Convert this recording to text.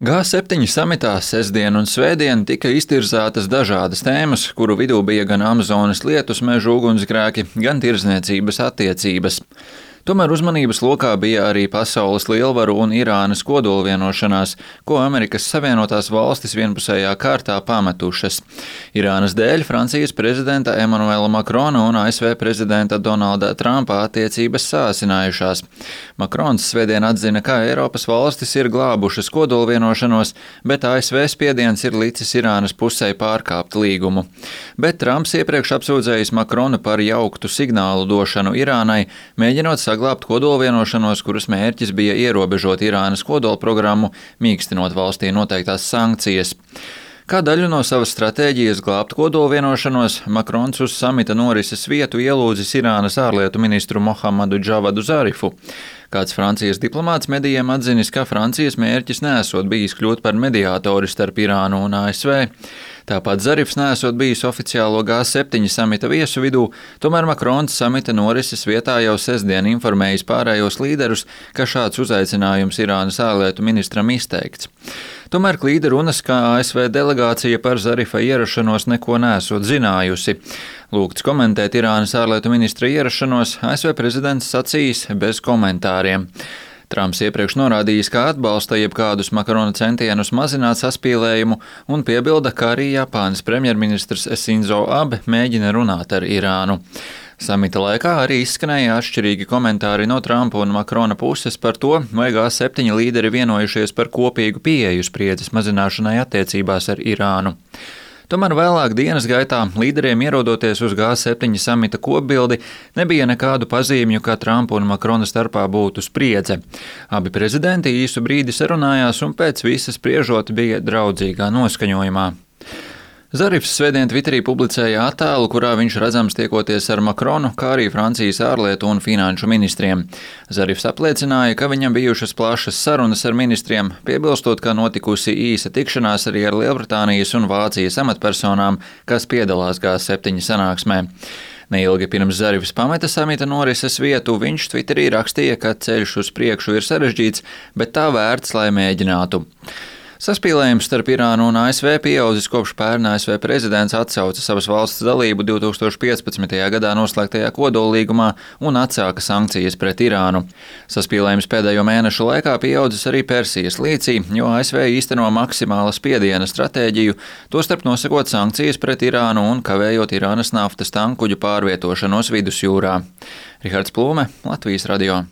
G7 samitā sestdien un svētdien tika iztirzātas dažādas tēmas, kuru vidū bija gan Amazonas lietus mežu ugunsgrēki, gan tirdzniecības attiecības. Tomēr uzmanības lokā bija arī pasaules lielvaru un Irānas kodolvienošanās, ko Amerikas Savienotās valstis vienpusējā kārtā pametušas. Irānas dēļ Francijas prezidenta Emanuela Makrona un ASV prezidenta Donalda Trumpa attiecības sāsinājušās. Makrons svētdien atzina, ka Eiropas valstis ir glābušas kodolvienošanos, bet ASV spiediens ir licis Irānas pusē pārkāpt līgumu. Bet Trumps iepriekš apsūdzējis Makronu par jauktu signālu došanu Irānai, mēģinot saglābt kodolvienošanos, kuras mērķis bija ierobežot Irānas kodolprogrammu, mīkstinot valstī noteiktās sankcijas. Kā daļu no savas stratēģijas glābt kodolvienošanos, Makrons uz samita norises vietu ielūdzis Irānas ārlietu ministru Mohammadu Džavadu Zarifu. Kāds Francijas diplomāts medijiem atzinis, ka Francijas mērķis nesot bijis kļūt par mediātori starp Irānu un ASV. Tāpat Zarifs nesot bijis oficiālo G7 samita viesu vidū, tomēr Makrons samita norises vietā jau sestdien informējis pārējos līderus, ka šāds uzaicinājums Irānas ārlietu ministram izteikts. Tomēr klīda runas, ka ASV delegācija par Zarifa ierašanos neko nesot zinājusi. Lūgts komentēt Irānas ārlietu ministra ierašanos, ASV prezidents sacījis bez komentāriem. Trumps iepriekš norādījis, ka atbalsta jebkādus Makrona centienus mazināt saspīlējumu un piebilda, ka arī Japānas premjerministrs Sinzo Abe mēģina runāt ar Irānu. Samita laikā arī izskanēja atšķirīgi komentāri no Trumpa un Makrona puses par to, vai G7 līderi vienojušies par kopīgu pieeju spriedzes mazināšanai attiecībās ar Irānu. Tomēr vēlāk dienas gaitā līderiem ierodoties uz G7 samita kopbildi nebija nekādu pazīmju, ka Trumpa un Makrona starpā būtu spriedze. Abi prezidenti īsu brīdi sarunājās un pēc visa spriežot bija draudzīgā noskaņojumā. Zarifs svētdien Twitterī publicēja attēlu, kurā viņš redzams tiekoties ar Makronu, kā arī Francijas ārlietu un finanšu ministriem. Zarifs apliecināja, ka viņam bijušas plašas sarunas ar ministriem, piebilstot, ka notikusi īsa tikšanās arī ar Lielbritānijas un Vācijas amatpersonām, kas piedalās G7 sanāksmē. Neilgi pirms Zarifs pameta samita norises vietu, viņš Twitterī rakstīja, ka ceļš uz priekšu ir sarežģīts, bet tā vērts, lai mēģinātu. Saspīlējums starp Irānu un ASV pieaudzis kopš pērn ASV prezidents atsauca savas valsts dalību 2015. gadā noslēgtajā kodollīgumā un atsāka sankcijas pret Irānu. Saspīlējums pēdējo mēnešu laikā pieaudzis arī Persijas līcī, jo ASV īsteno maksimāla spiediena stratēģiju, tostarp nosakot sankcijas pret Irānu un kavējot Irānas naftas tankuģu pārvietošanos vidusjūrā. Rihards Plūme, Latvijas radio.